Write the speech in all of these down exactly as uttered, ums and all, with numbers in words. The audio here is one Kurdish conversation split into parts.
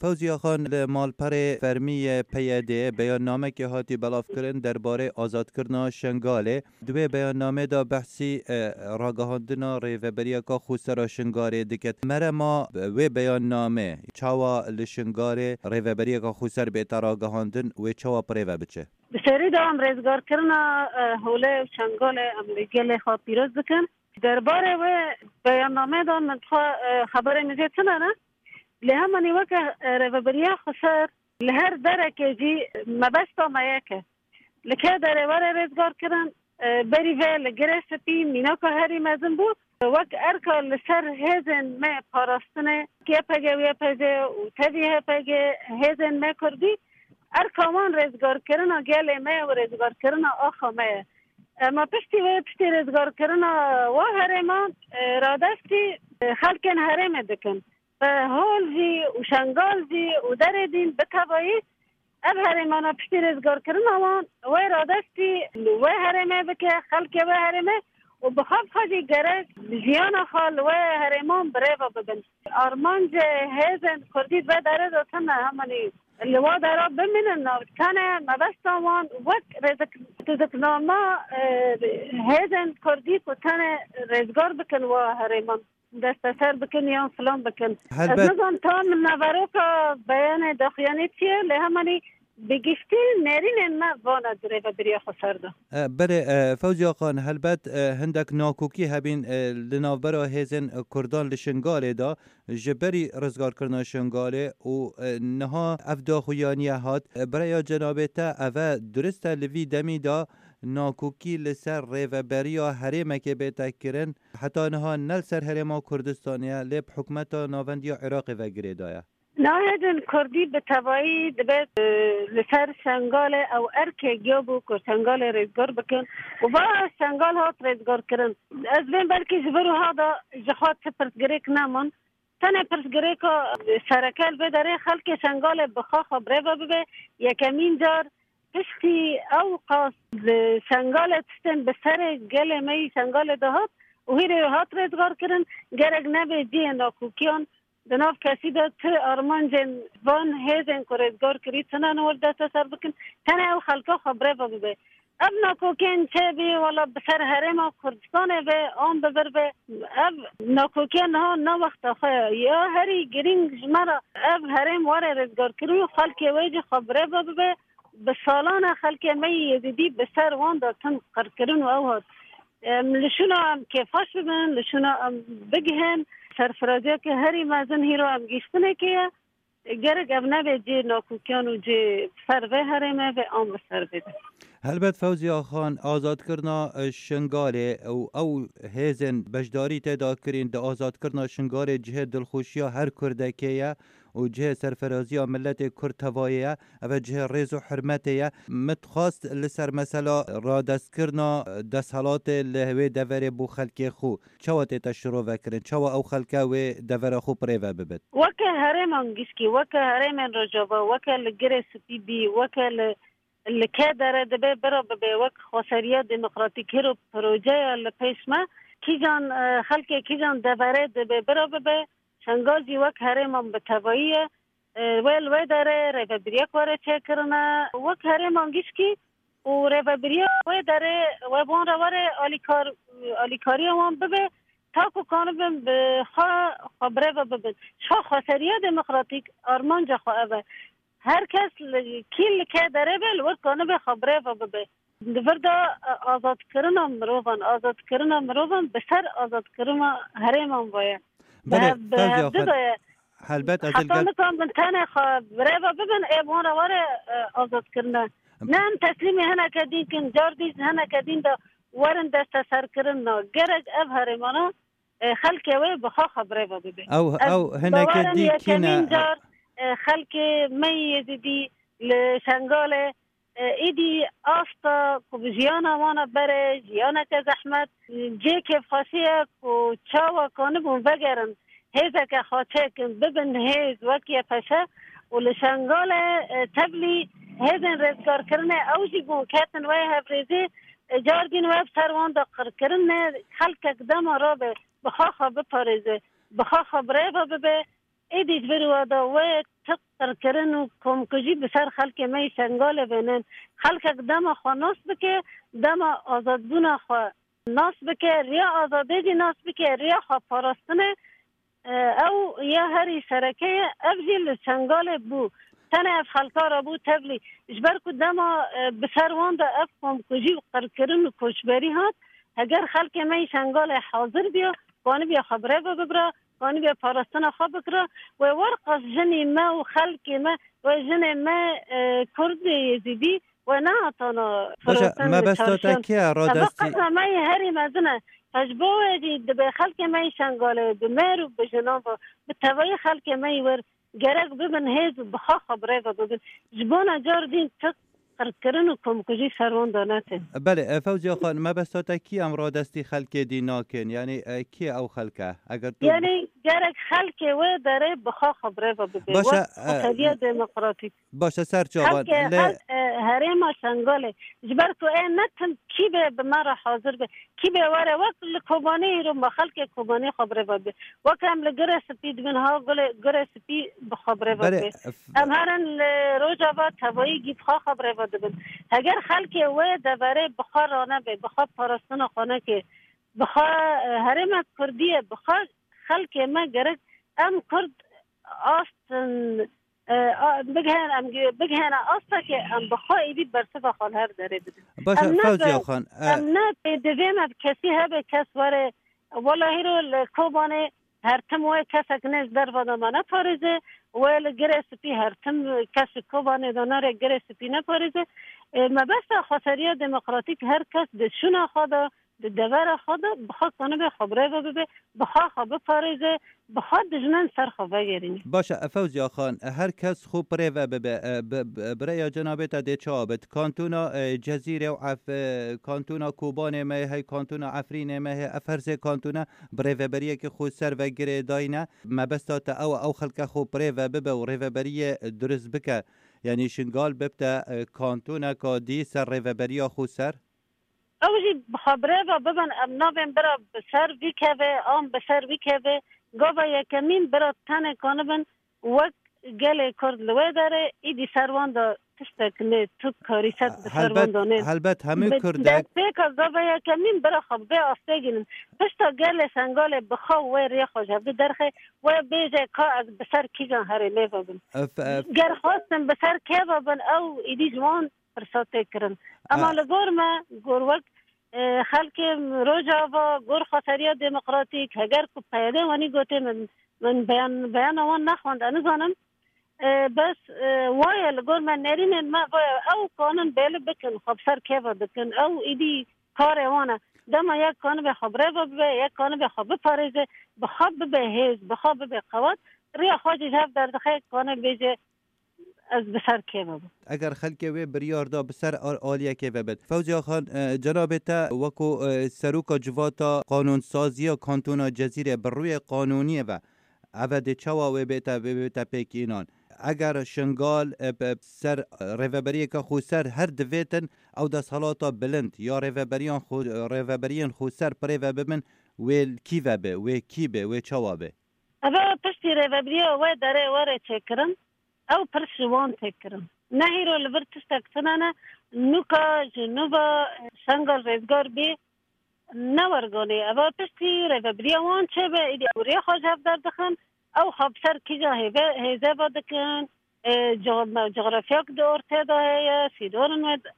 Fewziya Xan, li malperê fermî yê P Y D'ê beyannamekê hatî belavkirin derbarê azadkirina Şengalê. Di wê beyannamê de behsî, e, ragihandina rêveberiyeka xwesera Şingalê dike. Merema wê beyannamê çawa li Şingalê rêveberiyeka xweser bête ragihandin, wê çawa bi rê ve biçe? Bi serî de em rêzgarkirina, e, Holê û Şengalê em li gelê xwe pîroz dikin. Derbarê wê beyannamê de min xwe, e, xeberê min jê tune ne. Lê hemanî weke, e, rêveberiya xweser li her derekê jî mebesta me yek e. Li kê derê were rêzgar kirin, e, berî vê li Girê Spî mînaka herî mezin bû. Wek erka li ser hêzên me parastinê, Y P G û Y P J û tevî H P G, hêzên me kurdî, erka wan rêzgarkirina gelê me û rêzgarkirina axa me ye. Ema piştî wê, piştî rêzgarkirina wa herêman, e, radestî, e, xelkên herêmê dikin. Bi Hol jî û Şengal jî û derê dîn bi tevayî ev herêmana piştî rêzgarkirina wan, wê radestî li wê herêmê bike, xelkê wê herêmê û bi xwe bi xwe jî gerek jiyana xwe li wê herêman bi rê ve bibin. Armancê hêzên kurdî di vê derê de tune, hemanî li wa dera bimînin, tenê mebesta wan wek rêzik-, rêziknama, e, hêzên kurdî ku tenê rêzgar bikin wa herêman, desteser bikin yan filan bikin. Helbet. Ez nizanim tam naveroka beyanê daxuyanî çi ye, lê hemanî bi giştî nêrînên me vana di rêveberiya xweser de. E, belê, e, Fewziya Xan, helbet, e, hindek nakokî hebîn, e, li navbera hêzên, e, kurdan li Şingalê de, ji berî rizgarkirina Şingalê û, e, niha ev daxuyaniye hat. E, bi raya cenabê te, ev e durist e, li vî demî de nakokî li ser rêveberiya herêmekê bête kirin, heta niha ne li ser herêma Kurdistanê ye, lê bi hikûmeta navendî ya Iraqê ve girê daye. Nahêlin kurdî bi tevayî dibe, e, li ser Şengalê ew erkê giya bû ku Şengalê rêzgar bikin û va Şengal hat rêzgarkirin. Ez bên belkî ji vir wiha de ji xwe ti pirsgirêk neman. Tenê pirsgirêka sereke li vê derê xelkê Şengalê bi xwe xwe bi rê ve bibe. Yekemîn car piştî ew qas li Şengalê tiştên bi serê gelê me yî Şengalê de hat û hîrê hat rêzgar kirin, gerek nebe cihê nakokiyan. Di nav kesî de ti armancên van hêzên ku rêzgar kirî tune ne were desteser bikin, tenê ew xelka xwe bi rê ve bibe. Ev nakokên çêbî, wela bi ser herêma Kurdistanê ve an bi vir ve, ev nakokiya niha ne wexta xwe ye. Ya herî girîng ji me re ev herêm were rêzgarkirin û xelkê wê jî xwe bi rê ve bibe. Bi salan e xelkê me yî Yezîdî bi ser wan de tim qirkirin û ew hat. Em li şûna em kêfxweş bibin, li şûna em bigihin. Serfiraziyeke herî mezin hîro em gihîştinekê ye. Gerek ev nebe cihê nakokiyan û cihê ser vê herêmê ve an bi ser vê de. Helbet Fewziya Xan, azadkirina, e, Şingalê û ew hêzên beşdarî tê de kirîn di azadkirina Şingalê cihê dilxweşiya her Kurdekê ye û cihê serfiraziya miletê Kurd tevayê ye. Ev e cihê rêz û hurmetê ye. Min dixwest li ser mesela radestkirina desthilatê li wê deverê bo xelkê xwe çawa tête şirovekirin? Çawa ew xelke wê devera xwe bi rê ve bibin? Weke herêman gişkî, weke herêmên Rojava, weke li Girê Spî bî, weke li, li kê dere dibe bira bibe, wek xweseriya demokratîk hiro projeya li pêş me, kîjan, e, xelkê kîjan deverê dibe bira bibe, Şengal jî wek herêman bi tevayî ye. E, wê li wê derê rêvebiriyek were çêkirine, wek herêman gişkî û rêvebiriya wê derê wê bi wan re were alîkar-, alîkariya wan bibe, ta ku kanibin bi xwe, xwe bi rê ve bibin. Ji xwe xweseriya demokratîk armanca xwe ev e. Her kes li, kî li kê derê be, li wir kanibe xwe bi rê ve bibe. Di vir de, e, azadkirina mirovan, azadkirina mirovan bi ser azadkirina herêman ve ye. Bi Belê, hev-, bi Fewziya hevdu Xan, de ye. Helbet ez Heta gel- nikan bin tenê xwe bi rê ve bibin, ê bi wan re were, e, azadkirine. Ne em teslîmê hineke dîn kin, car dî ji hineke dîn de werin desteserkirin na. Gerek ev herêmana, e, xelkê wê bi xwe xwe bi rê ve bibe. Ew, Ez ew hineke bawer im dî kî ne? yekemîn car, e, xelkê me yê Yezîdî li Şengalê, e, êdî asta ku bi jiyana wan re bere, jiyaneke zehmet, cihê kêfxweşî ye ku çawa kanibûn vegerin, hêzeke xwe çêkin, bibin hêz wek Y P Ş û li Şengalê, e, tevlî hêzên rêzgarkirinê ew jî bûn ketin wê hevrêzî, e, car dîn wê bi ser wan de qirkirin ne, xelkek dema rabe bi xwe xwe biparêze, bi xwe xwe bi rê ve bibe, êdî ji vir we de wê Ti qirkirin û komkujî bi ser xelkê me yî Şengalê bênin. Xelkek dema xwe nas bike, dema azadbûna xwe nas bike, riya azadê jî nas bike, riya xwe parastinê, e, ew ya herî sereke ye. Ev jî li Şengalê bû. Tenê ev xelka re bû tevlî. Ji ber ku dema, e, bi ser wan de ev komkujî û qirkirin û koçberî hat, heger xelkê me yî Şengalê hazir biya, kanibiya xwe bi rê ve bibira, kanibiya parastina xwe bikira, wê werqas jinî me û xelkê me, wê jinê me, e, Kurd ê Yezîdî, wê nehatana Baş e, firotin mebesta te çarşiyan. Kî ye? Ev radestî qesa me yê herî mezin e. Ji bo wê jî dibê xelkê me yî Şengalê bi mêr û bi jinan ve, bi tevayî xelkê me yî wir gerek bibin hêz û bi xwe xwe bi rê ve bibin. Ji bona car dîn ti qirkirin û komkujî ser wan de netin. Belê, e, Fewziya Xan, mebesta te kî em radestî xelkê dî nakin? Yanî, e, kî ye ew xelke? Eger tu Yanî gerek xelkê wê derê bi xwe xwe bi rê ve bibe. Baş e, Wek e, xweseriya demokratîk. Baş e, ser çavan. Xelkê, lê xelk, e, herêma Şengalê. Ji ber ku ê netin kî bê bi me re hazir be. Kî bê were wek li Kobanê îro me xelkê Kobanê xwe bi rê ve bibe. Wek em li Girê Spî dibin, ha gulê, Girê Spî bi xwe bi rê ve Berê, bibe. Em herin li Rojava tevayî gî bi xwe xwe bi rê ve dibin. Heger xelkê wê deverê bi xwe ranebe, bi xwe parastina xwe neke, bi xwe, e, herêma Kurdî ye, bi xwe xelkê me gerek em Kurd astin, e, a, bigihên, em gi-, bigihêne asta ke em bi xwe êdî bersiva xwe li her derê bidin. Baş e, Em ne Fewziya be-, Xan, e, em ne pêdivê me bi kesî hebe kes were, wela hîro li Kobanê her tim wê kesek ne ji derve de me neparêze, wê li Girê Spî her tim kesek Kobanê de nere Girê Spî neparêze. E, mebesta xweseriya demokratîk her kes di şûna xwe de, di devera xwe de bi xwe kanibe xwe bi rê ve bibe, bi xwe xwe biparêze, bi xwe dijmin ser xwe vegerîne. Baş e, Fewziya Xan, her kes xwe bi rê ve bibe, e, bi, bi, bi rêya cenabê te dê çawa bit? Kantona, e, Cezîrê û Ef-, e, kantona Kobanê me heye, kantona Efrînê me heye, ev her sê kantona bi rêveberiyekê xwe ser ve girêdayî ne. Mebesta te ew e, ew xelke xwe bi rê ve bibe û rêveberiyê dirust bike. Yanî Şingal bibte, e, kantoneka dî ser rêveberiya xwe ser? Ew jî bi xwe bi rê ve bibin, em navên bira bi ser vî kevê, an bi ser vî kevê, gava yekemîn bira tenê kanibin wek gelê Kurd li wê derê, îdî ser wan de tiştek nê, tu karî ser bi ser wan Helbet, de nê. Helbet hemî Bi Kurdek destpêka gava yekemîn bira xwe bi vê astê gînin. Pişta gelê Şengalê bi xwe wê rê xwe ji hevdû derxe, wê bêje ka ez bi ser kîjan herêmê ve bim. Ef, ef. Ger xwestin bi ser kê ve bin, ew îdî ji wan pirsa tê kirin. Ema A- li gor me, gor wek, e, xelkê Rojava, gor xweseriya demokratîk, heger ku P Y D wanî gotê min, min beyan, beyana wan nexwend, ez nizanim. E, bes, e, waye li gor me, nerînên me vaye, ew kanin bêli bikin, xwe bi ser keva dikin, ew îdî karê wan e. Dema yek kanibe xwe bi rê ve bibe, yek kanibe xwe biparêze, bi xwe bibe hêz, bi xwe bibe qewat, riya xwe jî ji hev derdixe, kane bêje, ez bi ser kê ve bim. Eger xelkê wê biryar da bi ser al-, aliyekê ve bit. Fewziya Xan, e, cenabê te wekû, e, seroka civata qanûnsaziya kantona Cezîrê bi rûyê qanûniyê ve, eve dê çawa wê bête, wê bête pêk înan? Eger Şingal, e, bi ser rêveberiyeke xweser her divêtin ew desthilata bilind ya rêveberiyan xwe, rêveberiyên xweser bi rê ve bibin, wê kî ve be, wê kî be, wê çawa be? Eve piştî rêvebiriya wê derê were çêkirin. Ew pirs ji wan tê kirin. Ne hîro li vir tiştek tune ne, nûka ji nû ve Şengal rêzgar bî, ne werganê. Eva piştî rêvebiriya wan çêbe, îdî ew rê xwe ji hev derdixin, ew xwe bi ser kîja hêve, hêze ve dikin, e, co-, me-, cografyak di ortê de heye, sînorin wê de.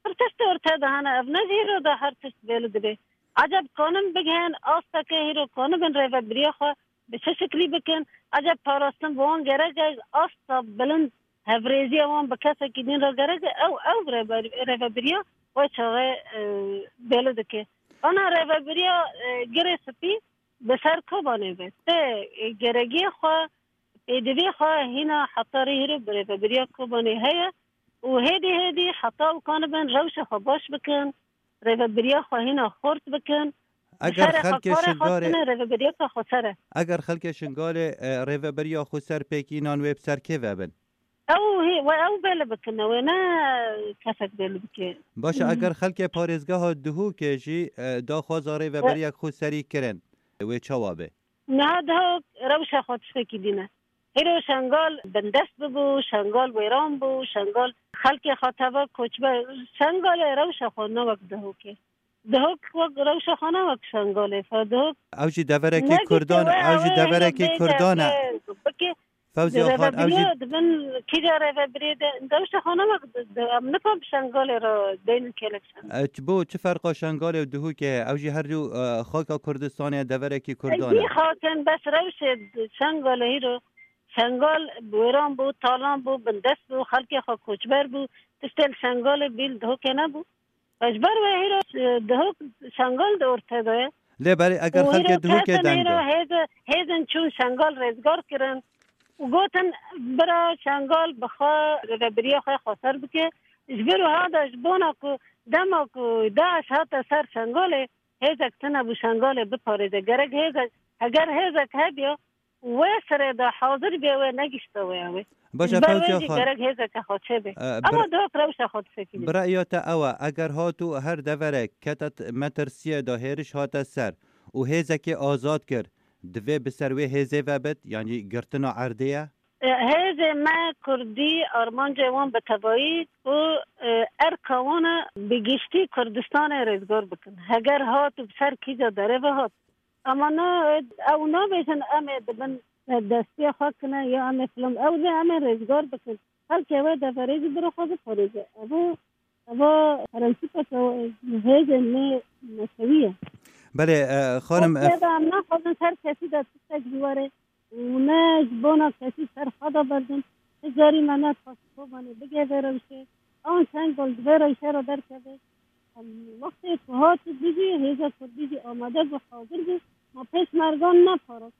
Her tişt ortê de hene, ev ne jî hîro de her tişt bêli dibe. Eceb kanin bigihên asteke hîro kanibin rêvebiriya xwe bi çi şiklî bikin? Eceb parastin bi wan gerek e, asta bilind hevrêziya wan bi kesekî din re gerek e? Ew, ew rêber-, rêvebiriya wê çaxê, e, bêli dike. Ana rêvebiriya, e, Girê Spî bi ser Kobanê be. Tê, e, geregiya xwe, pêdivê xwe hîna heta rê hîro bi rêvebiriya Kobanê heye û hêdî hêdî heta ew kanibin rewşa xwe baş bikin, rêvebiriya xwe hîna xurt bikin, bi Eger serê xwe xelkê karê xwe Şingalê, bikine rêvebiriyeka xweser e. Eger xelkê Şingalê, e, rêveberiya xweser pêk înan wê bi ser kê ve bin? Ew hê, we ew bêli bikine, wê ne kesek bêli bike. Baş e, Hmm. eger xelkê parêzgeha Duhokê jî, e, daxwaza rêveberiyek xweserî kirin, wê çawa be? Niha Duhok rewşa xwe tiştekî dîne. Hêro Şengal bindest bibû, Şengal wêran bû, Şengal xelkê xwe teva koçber. Şengalê rewşa xwe ne wek Dihokê. Dihok wek rewşa xwe ne wek Şengalê. Fe Dihok Ew jî deverekî negotê Kurdan, we, ew jî ew ê hêro deverekê bêje Kurdan e. Bike, Fewziya Xan, ew jî rêvebiriya dibin kîja rêvebiriyê de, rewşa xwe ne wek di, di, em nikan bi Şengalê re deynin kêlek Şengal. E, çi bo, çi ferqa Şengalê û Dihokê heye? Ew jî her du, e, xaka Kurdistanê ye, deverekî Kurdan e. Dî xakin bes rewşê Şengalê hîro. Şengal wêran bû, talan bû, bindest bû, xelkê xwe koçber bû. Tiştê li Şengalê bî li Dihokê nebû. Ji ber wê hîro, e, Dihok Şengal di ortê de ye. Lê belê eger Û hîro xelkê Dihokê kesin deng hîro da. hêze-, hêzên çûn Şengal rêzgar kirin û gotin, bira Şengal bi xwe rêvebiriya xwe xweser bike. Ji vir wiha de ji bona ku dema ku DAIŞ hate ser Şengalê, hêzek tune bû Şengalê biparêze. Gerek hêzek, heger hêzek hebiya, wê sirê de hazir bê, wê negişte wê ew ê. Baş e, Ji ber wê Fewziya jî Xan. gerek hêzeke xwe çêbe. E, Ama bir-, Dihok rewşa xwe disekîne. Bira yata ew e, eger hat û her deverek kete t-, metirsiyê de hêriş hate ser û hêzekê azad kir, divê bi ser wê hêzê ve bit, yanî girtina erdê ye? E, hêzê me Kurdî armancê wan bi tevayî ku, e, erka wan e bi giştî Kurdistanê rêzgar bikin. Heger hat û bi ser kîja derê ve hat. Ama na, ew nabêjin em ê di bin destiya xwe kine ya em ê filan. Ew dê em ê rêzgar bikin. Xelkê wê deverê jî biro xwe biparêze. Evo, evo prensîpeke hêzên me netewî ye. Belê, e, xanim, e, Xwedê em naxwazin ser kesî de tiştek ji were û ne ji bona kesî ser xwe de berdin. Ti carî me nedixwest Kobanê bigê vê rewşê. An Şengal di vê rewşe re derkeve. Em wextê ku hat û dijî hêza Kurdî jî amade bû, hazir bû, ma pêşmergan neparast.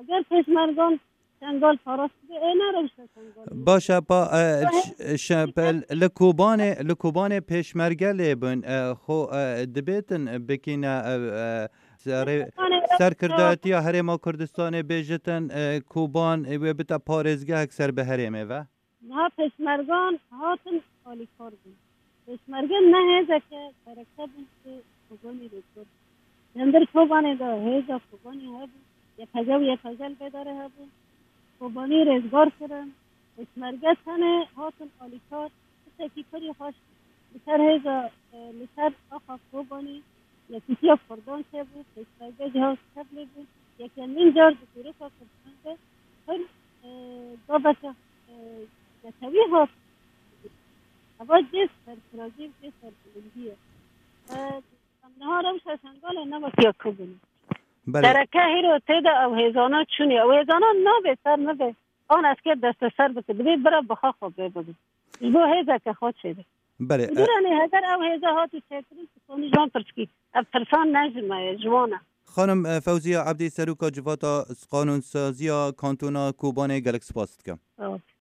Eger pêşmergan Şengal parast bibe, ê ne rewşe Şengal bibe. Baş e, pa, e, Ehe. ş-, ş-, pe-, li Kobanê, li Kobanê pêşmerge lê bin, e, xo, e, dibêtin bikîne, e, e, serê-, Kobanê serkirdayetiya Herêma Kurdistanê bêjitin, e, Koban, e, wê bite parêzgehek ser bi herêmê ve? Niha pêşmergan hatin alîkar bûn. Pêşmerge ne hêzeke sereke bûn ku Kobanî rêzgar bû. Li hundir Kobanê de hêza Kobanî hebû, YPG û YPJ li vê derê hebû. Kobanî rêzgar kirin. Pêşmerge tenê hatin alîkar, tiştekî pirî xweş li ser hêza, e, li ser axa Kobanî, yekîtiya Kurdan çêbû, pêşmerge jî hat tevlê bûn. Yekemîn car di dîroka Kurdan de pir, e, gaveke, e, netewî hat. Eva cê serfirazî û cê serbilindî ye. E, em niha rewşa Şengalê ne wek ya Kobanê. Belê. Sereke hîro tê de ew hêzana çûnî. Ew hêzana nabê ser nivê. An esker desteser bike. Dibê bira bixa xwe bê bibe. Ji bo hêzeke xwe çêbe. Belê, e, Duranê heger ew hêza hat û çêkirin, tu konî ji wan pirs kî. Ev pirsan ne ji me ye, ji wan e. Xanim, e, Fewziya Ebdî, Seroka Civata Qanûnsaziya Kantona Kobanê, gelek spas dikim. Sağ ol.